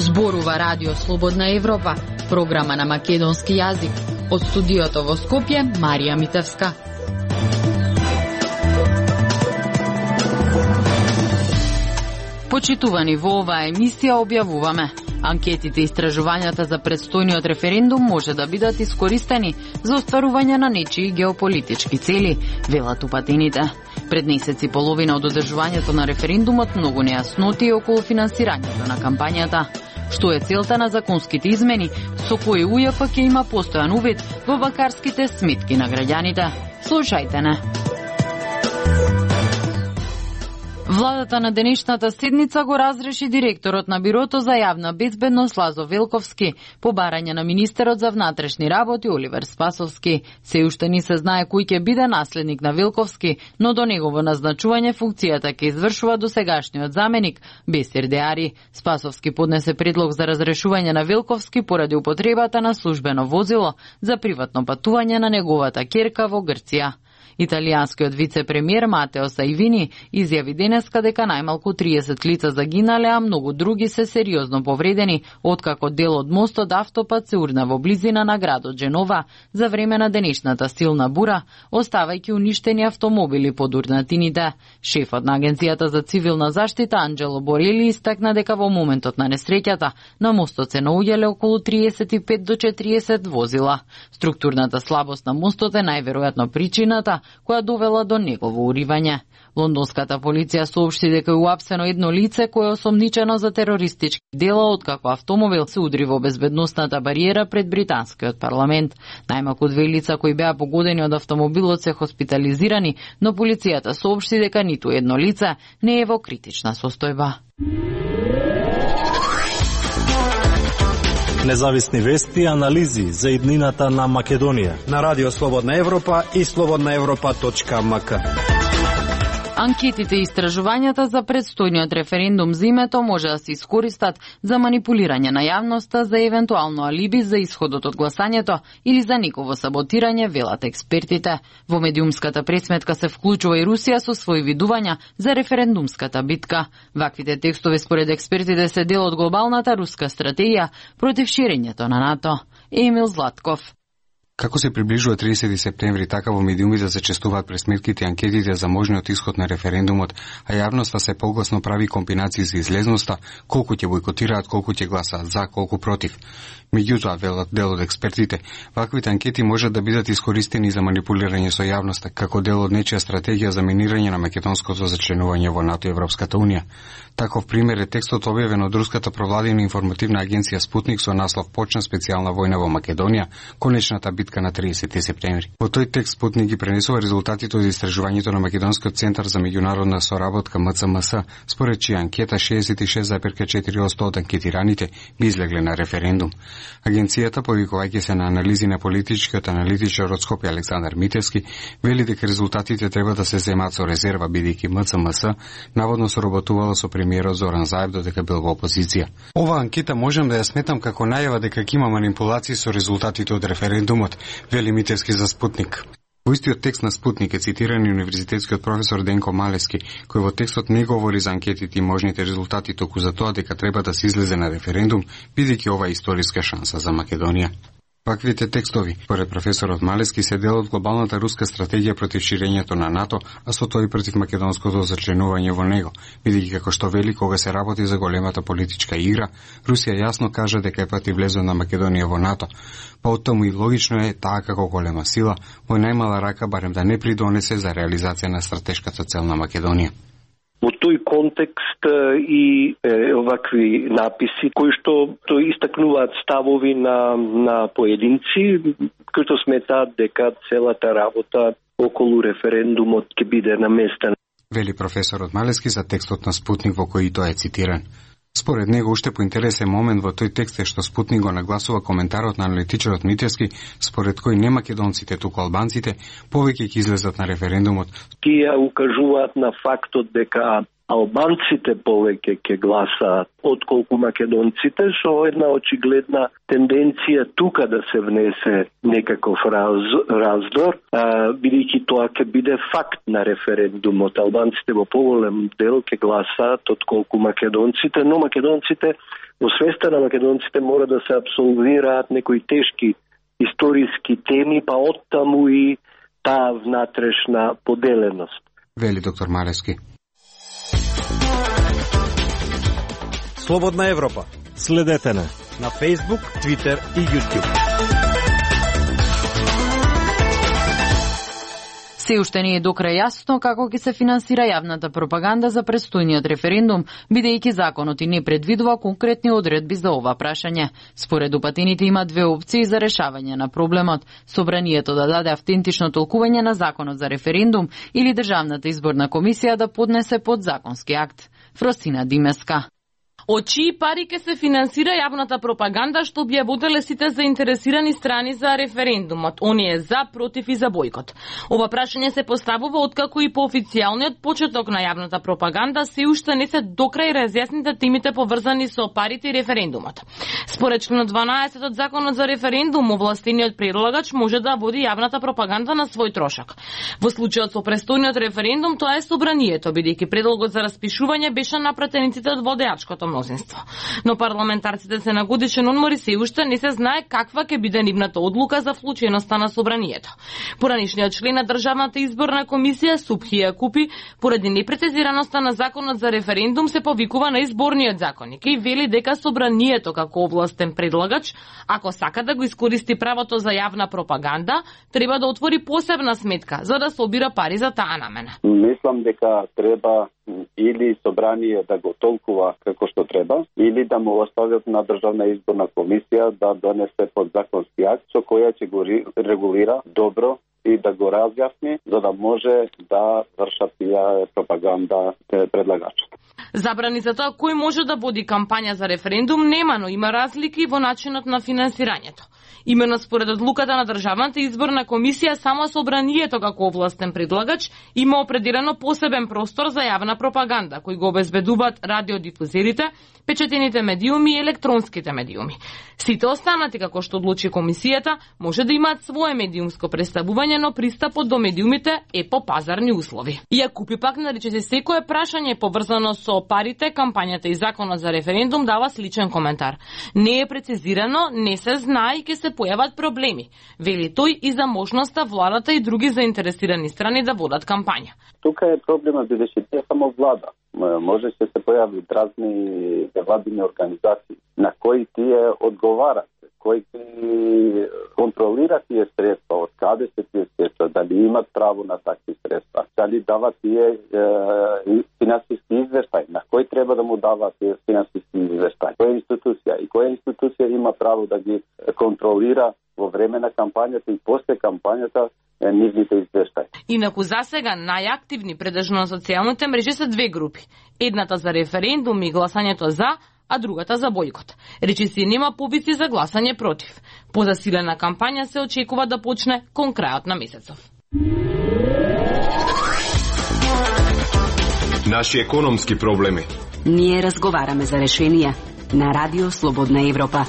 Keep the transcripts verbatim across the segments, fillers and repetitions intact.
Зборува Радио Слободна Европа, програма на македонски јазик. Од студиото во Скопје, Марија Митевска. Почитувани, во оваа емисија објавуваме: анкетите и истражувањата за предстојниот референдум може да бидат искористени за остварување на нечии геополитички цели, велат упатените. Пред месец и половина од одржувањето на референдумот многу нејасноти околу финансирањето на кампањата. Што е целта на законските измени, со кои УЈФ ќе има постојан увид во банкарските сметки на граѓаните? Слушајте не. Владата на денешната седница го разреши директорот на Бирото за јавна безбедност Лазо Велковски по барање на министерот за внатрешни работи Оливер Спасовски. Се уште не се знае кој ќе биде наследник на Велковски, но до негово назначување функцијата ќе извршува досегашниот заменик Бесир Деари. Спасовски поднесе предлог за разрешување на Велковски поради употребата на службено возило за приватно патување на неговата ќерка во Грција. Италијанскиот вице-премиер Матео Саивини изјави денеска дека најмалку триесет лица загинале, а многу други се сериозно повредени, откако дел од мостот автопат се урна во близина на градот Дженова за време на денешната силна бура, оставајќи уништени автомобили под урнатините. Шефот на Агенцијата за цивилна заштита Анджело Борели истакна дека во моментот на несреќата на мостот се наоѓале околу триесет и пет до четириесет возила. Структурната слабост на мостот е најверојатно причината која довела до негово уривање. Лондонската полиција соопшти дека е уапсено едно лице кое е осомничено за терористички дела откако автомобил се удри во безбедносната бариера пред британскиот парламент. Најмалку две лица кои беа погодени од автомобилот се хоспитализирани, но полицијата соопшти дека ниту едно лице не е во критична состојба. Независни вести и анализи за иднината на Македонија на Радио Слободна Европа и слободна европа точка ем ка. Анкетите и истражувањата за предстојниот референдум за името може да се искористат за манипулирање на јавноста, за евентуално алиби за исходот од гласањето или за негово саботирање, велат експертите. Во медиумската пресметка се вклучува и Русија со своји видувања за референдумската битка. Ваквите текстови според експертите се дел од глобалната руска стратегија против ширењето на НАТО. Емил Златков. Како се приближува триесети септември, така во медиумите се честуваат пресметките и анкетите за можниот исход на референдумот, а јавноста се погласно прави комбинации за излезноста, колку ќе бојкотираат, колку ќе гласаат за, колку против. Меѓутоа, велат дел од експертите, ваквите анкети можат да бидат искористени за манипулирање со јавноста, како дел од нечија стратегија за минирање на македонското зачленување во НАТО и Европската унија. Таков пример е текстот објавен од руската провладина информативна агенција Спутник со наслов "Почна специјална војна во Македонија, конечната битка на триесети септември". Во тој текст Спутник ги пренесува резултатите од истражувањето на Македонскиот центар за меѓународна соработка М Ц М С, според чија анкета шеесет и шест зарез четири одсто од анкетираните би излегле на референдум. Агенцијата, повикувајќи се на анализи на политичкиот аналитичар од Скопје Александар Митевски, вели дека резултатите треба да се земаат со резерва, бидејќи М Ц М С наводно соработувала со премиерот Зоран Заев додека бил во опозиција. Ова анкета можам да ја сметам како најава дека ќе има манипулации со резултатите од референдумот, вели Митевски за Спутник. Во истиот текст на Спутник е цитиран и универзитетскиот професор Денко Малески, кој во текстот не говори за анкетите и можните резултати, току за тоа дека треба да се излезе на референдум, бидејќи ова е историска шанса за Македонија. Ваквите текстови, според професорот Малески, се дел од глобалната руска стратегија против ширењето на НАТО, а со тоа и против македонското зачленување во него, бидејќи како што вели, кога се работи за големата политичка игра, Русија јасно кажа дека е против влезот на Македонија во НАТО. Па оттаму и логично е таа како голема сила, во најмала рака барем да не придонесе за реализација на стратешката цел на Македонија. Во тој контекст и е, овакви написи кои што то истакнуваат ставови на на поединци кои што сметаат дека целата работа околу референдумот ќе биде наместена. Вели професорот Малески за текстот на Спутник во кој тоа е цитиран. Според него, уште поинтересен момент во тој текст е што Спутник го нагласува коментарот на аналитичарот Митевски, според кој не македонците, туку албанците, повеќе ќе излезат на референдумот. Тие укажуваат на фактот дека албанците повеќе ќе гласаат отколку македонците, со една очигледна тенденција тука да се внесе некаков раз, раздор, бидејќи тоа ќе биде факт на референдумот. Албанците во поголем дел ќе гласаат отколку македонците, но македонците во свеста на македонците мора да се абсолвираат некои тешки историски теми, па оттаму и таа внатрешна поделеност. Вели доктор Марески. Слободна Европа. Следете не на Facebook, Twitter и YouTube. Се уште не е докрај јасно како ќе се финансира јавната пропаганда за престојниот референдум, бидејќи законот и не предвидува конкретни одредби за ова прашање. Според упатените има две опции за решавање на проблемот: собранието да даде автентично толкување на законот за референдум или Државната изборна комисија да поднесе подзаконски акт. Фросина Димеска. Од чии пари ќе се финансира јавната пропаганда што објавиле сите заинтересирани страни за референдумот, оние за, против и за бојкот? Ова прашање се поставува откако и по официјалниот почеток на јавната пропаганда се уште не се докрај разјасните темите поврзани со парите и референдумот. Според член дванаесет од Законот за референдум, овластениот предлагач може да води јавната пропаганда на свој трошок. Во случајот со престојниот референдум тоа е собранието, бидејќи предлогот за распишување беше напратениците од водеачкото мнозинство. Но парламентарците се на годишен одмор и се уште не се знае каква ќе биде нивната одлука за вклученоста на собранието. Поранишниот член на Државната изборна комисија Субхи Јакупи, поради непрецизираноста на Законот за референдум, се повикува на изборниот законник и вели дека собранието како овластен предлагач, ако сака да го искористи правото за јавна пропаганда, треба да отвори посебна сметка за да собира пари за таа намена. Мислам дека треба или собрание да го толкува како што треба, или да му остават на Државна изборна комисија да донесе подзаконски акт со која ќе го регулира добро и да го разјасни, за да може да вршат тие пропаганда предлагачот. Забрани за тоа кој може да води кампања за референдум нема, но има разлики во начинот на финансирањето. Имено според одлуката на Државната изборна комисија, само собранието како овластен предлагач има определено посебен простор за јавна пропаганда, кој го обезбедуваат радиодифузерите, печатените медиуми и електронските медиуми. Сите останати, како што одлучи комисијата, може да имаат свое медиумско представување, но пристапот до медиумите е по пазарни услови. Јакупи пак нарече се секое прашање поврзано со парите, кампањата и законот за референдум дава сличен коментар. Не е прецизирано, не се знае и ќе се појават проблеми. Вели тој и за можноста владата и други заинтересирани страни да водат кампања. Тука е проблема, бидејќи не само влада. Може се се појават разни невладини организации на кои тие одговарат, кои контролира тие средства, од каде се тие средства, дали имат право на такви средства, дали дават тие е, финансиски извештај, на кој треба да му дават тие финансиски извештај, која институција и која институција има право да ги контролира во време на кампањата и после кампањата нивните извештаи. Инаку засега најактивни предежно на социјалните мрежи се две групи. Едната за референдум и гласањето за, а другата за бојкот. Речи си нема повици за гласање против. Позасилена кампања се очекува да почне кон крајот на месецов. Наши економски проблеми. Ние разговараме за решенија на Радио Слободна Европа.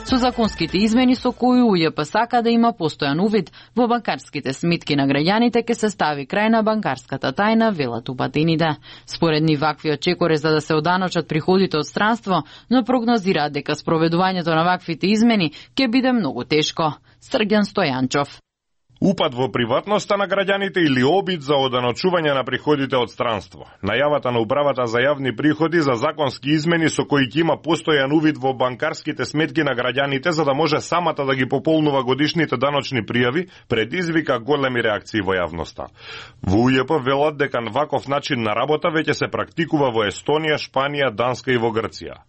Со законските измени со кои УЈП сака да има постојан увид во банкарските сметки на граѓаните, ќе се стави крај на банкарската тајна, велат упатените. Според нив ваквиот чекор е за да се оданочат приходите од странство, но прогнозираат дека спроведувањето на ваквите измени ќе биде многу тешко. Срѓан Стојанчов. Упад во приватноста на граѓаните или обид за оданочување на приходите од странство. Најавата на управата за јавни приходи за законски измени со кои ќе има постојан увид во банкарските сметки на граѓаните за да може самата да ги пополнува годишните даночни пријави, предизвика големи реакции во јавноста. Во УЈП велат дека ваков начин на работа веќе се практикува во Естонија, Шпанија, Данска и во Грција.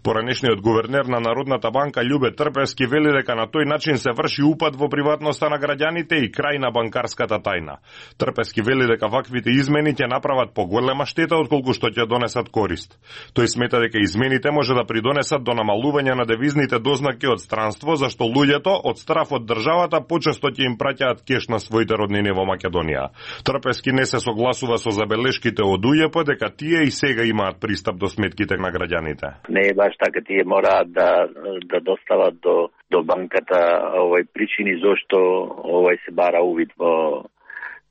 Поранешниот гувернер на Народната банка Љубе Трпевски вели дека на тој начин се врши упад во приватноста на граѓаните и крај на банкарската тајна. Трпевски вели дека ваквите измени ќе направат поголема штета отколку што ќе донесат корист. Тој смета дека измените може да придонесат до намалување на девизните дознаци од странство, зашто луѓето од страф од државата почесто ќе им праќаат кеш на своите роднини во Македонија. Трпевски не се согласува со забелешките од УЈП дека тие и сега имаат пристап до сметките на граѓаните. Не е баш така, тие мораат да да достават до до банката овој причини зошто овој се бара увид во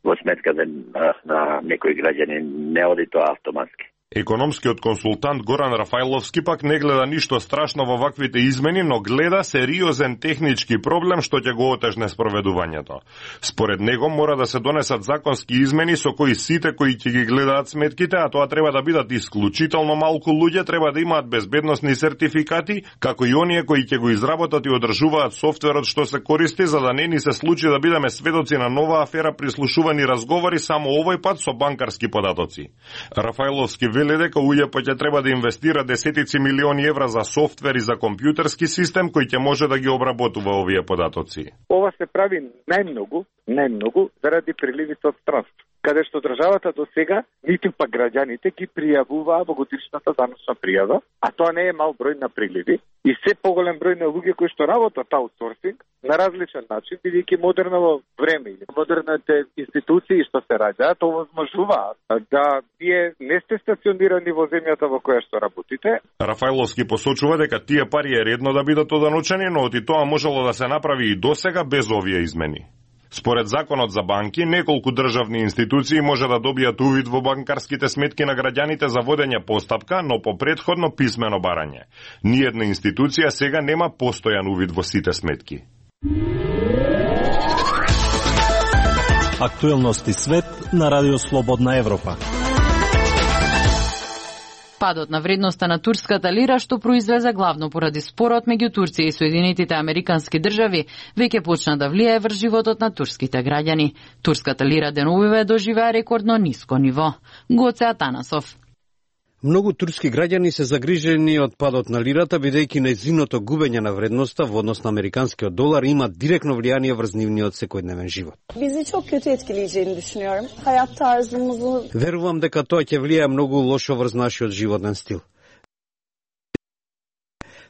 во сметката на, на некој граѓанин, не оди тоа автоматски. Економскиот консултант Горан Рафајловски пак не гледа ништо страшно во ваквите измени, но гледа сериозен технички проблем што ќе го отежне спроведувањето. Според него мора да се донесат законски измени со кои сите кои ќе ги гледаат сметките, а тоа треба да бидат исклучително малку луѓе, треба да имаат безбедносни сертификати, како и оние кои ќе го изработат и одржуваат софтверот што се користи, за да не ни се случи да бидеме сведоци на нова афера прислушувани разговори само овој пат со банкарски податоци. Рафајловски вели дека У Ј П ќе треба да инвестира десетици милиони евра за софтвер и за компјутерски систем кој ќе може да ги обработува овие податоци. Ова се прави најмногу, најмногу заради приливите од странство, каде што државата до сега, ниту па граѓаните ги пријавуваа во годишната даночна пријава, а тоа не е мал број на приливи, и се поголем број на луѓе кои што работат аутсорсинг на различен начин, бидејќи модерно време или модерните институции што се раѓаат овозможуваат да вие не сте стационирани во земјата во која што работите. Рафајловски посочува дека тие пари е редно да бидат оданучени, но оти тоа можело да се направи и досега без овие измени. Според законот за банки, неколку државни институции може да добијат увид во банкарските сметки на граѓаните за водење постапка, но по претходно писмено барање. Ниедна институција сега нема постојан увид во сите сметки. Актуелности свет на Радио Слободна Европа. Падот на вредноста на турската лира, што произлезе главно поради спорот меѓу Турција и Соединетите Американски држави, веќе почна да влијае врз животот на турските граѓани. Турската лира деновиве доживеа рекордно ниско ниво. Гоце Атанасов. Многу турски граѓани се загрижени од падот на лирата, бидејќи нејзиното губење на вредноста во однос на американскиот долар има директно влијание врз нивниот секојдневен живот. Bizi çok kötü etkileyeceğini düşünüyorum. Hayat tarzımızı... Верувам дека тоа ќе влијае многу лошо врз нашиот животен стил.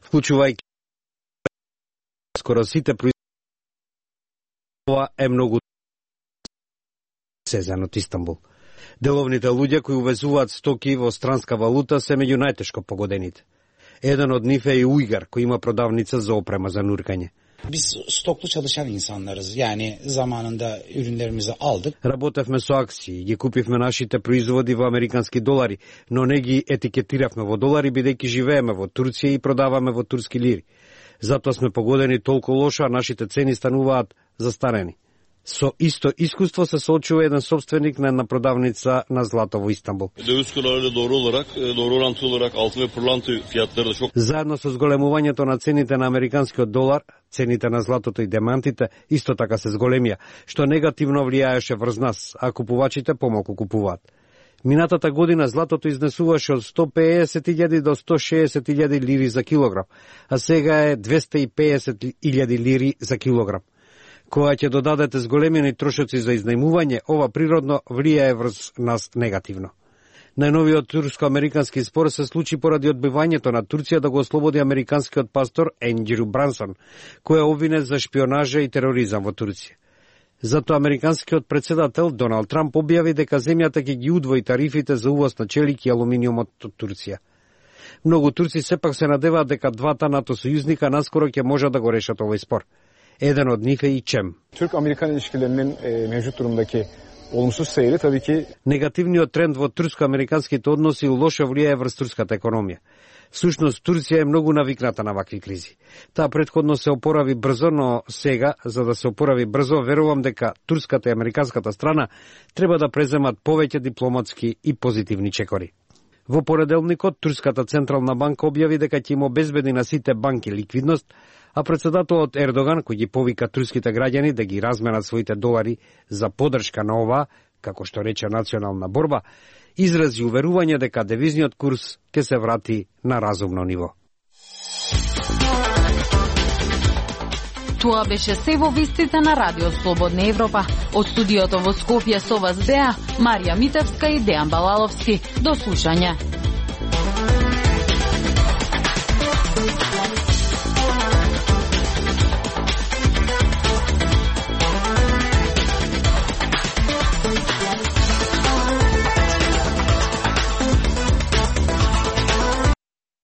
Вклучувајќи скоро сите производства, ова е многу сезен од Истанбул. Деловните луѓе кои увезуваат стоки во странска валута се меѓу најтешко погодените. Еден од нив е и ујгар кој има продавница за опрема за нуркање. Biz stoklu çalışan insanlarız. Yani zamanında ürünlerimizi aldık. Работевме со акции, ги купивме нашите производи во американски долари, но не ги етикетиравме во долари бидејќи живееме во Турција и продаваме во турски лири. Затоа сме погодени толку лошо, а нашите цени стануваат застарени. Со исто искуство се соочува еден собственик на една продавница на злато во Истанбул. Döviz kurlarıyla doğru olarak, doğru orantılı olarak altın ve pırlanta fiyatları da çok... Заедно со зголемувањето на цените на американскиот долар, цените на златото и демантите исто така се зголемија, што негативно влијаеше врз нас, а купувачите помалку купуваат. Минатата година златото изнесуваше од сто пеесет илјади до сто шеесет илјади лири за килограм, а сега е двесте и пеесет илјади лири за килограм. Која ќе додадете зголемени трошоци за изнајмување, ова природно влијае врз нас негативно. Најновиот турско-американски спор се случи поради одбивањето на Турција да го ослободи американскиот пастор Енџрю Брансон, кој е обвинет за шпионажа и тероризам во Турција. Затоа американскиот председател Доналд Трамп објави дека земјата ќе ги удвои тарифите за увоз на челик и алуминиумот од Турција. Многу турци сепак се надеваат дека двата НАТО сојузника наскоро ќе можат да го решат овој спор. Еден од нив е и ЧЕМ. Türk-Amerikan ilişkilerinin e, mevcut durumdaki olumsuz seyri tabii ki негативниот тренд во турско-американските односи лошо влијае врз турската економија. Всушност Турција е многу навикната на вакви кризи. Таа претходно се опорави брзо, но сега, за да се опорави брзо, верувам дека турската и американската страна треба да преземат повеќе дипломатски и позитивни чекори. Во понеделникот Турската централна банка објави дека ќе им обезбеди на сите банки ликвидност, а председателот Ердоган, кој ги повика турските граѓани да ги разменат своите долари за поддршка на ова, како што рече национална борба, изрази уверување дека девизниот курс ќе се врати на разумно ниво. Тоа беше се во вестите на Радио Слободна Европа. Од студиото во Скопје со вас беа Марија Митевска и Дејан Балаловски. До слушање.